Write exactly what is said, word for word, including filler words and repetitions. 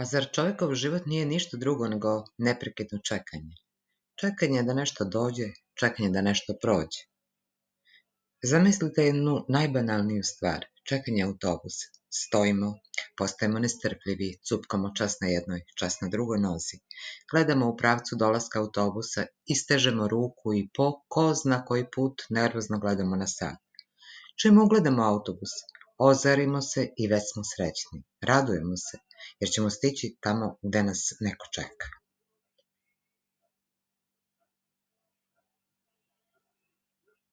A zar čovjekov život nije ništa drugo nego neprekidno čekanje? Čekanje da nešto dođe, čekanje da nešto prođe. Zamislite jednu najbanalniju stvar, čekanje autobusa. Stojimo, postajemo nestrpljivi, cupkamo čas na jednoj, čas na drugoj nozi. Gledamo u pravcu dolaska autobusa, istežemo ruku i po ko zna koji put nervozno gledamo na sat. Čim ugledamo autobus, ozarimo se i već smo srećni. Radujemo se, jer ćemo stići tamo gde nas neko čeka.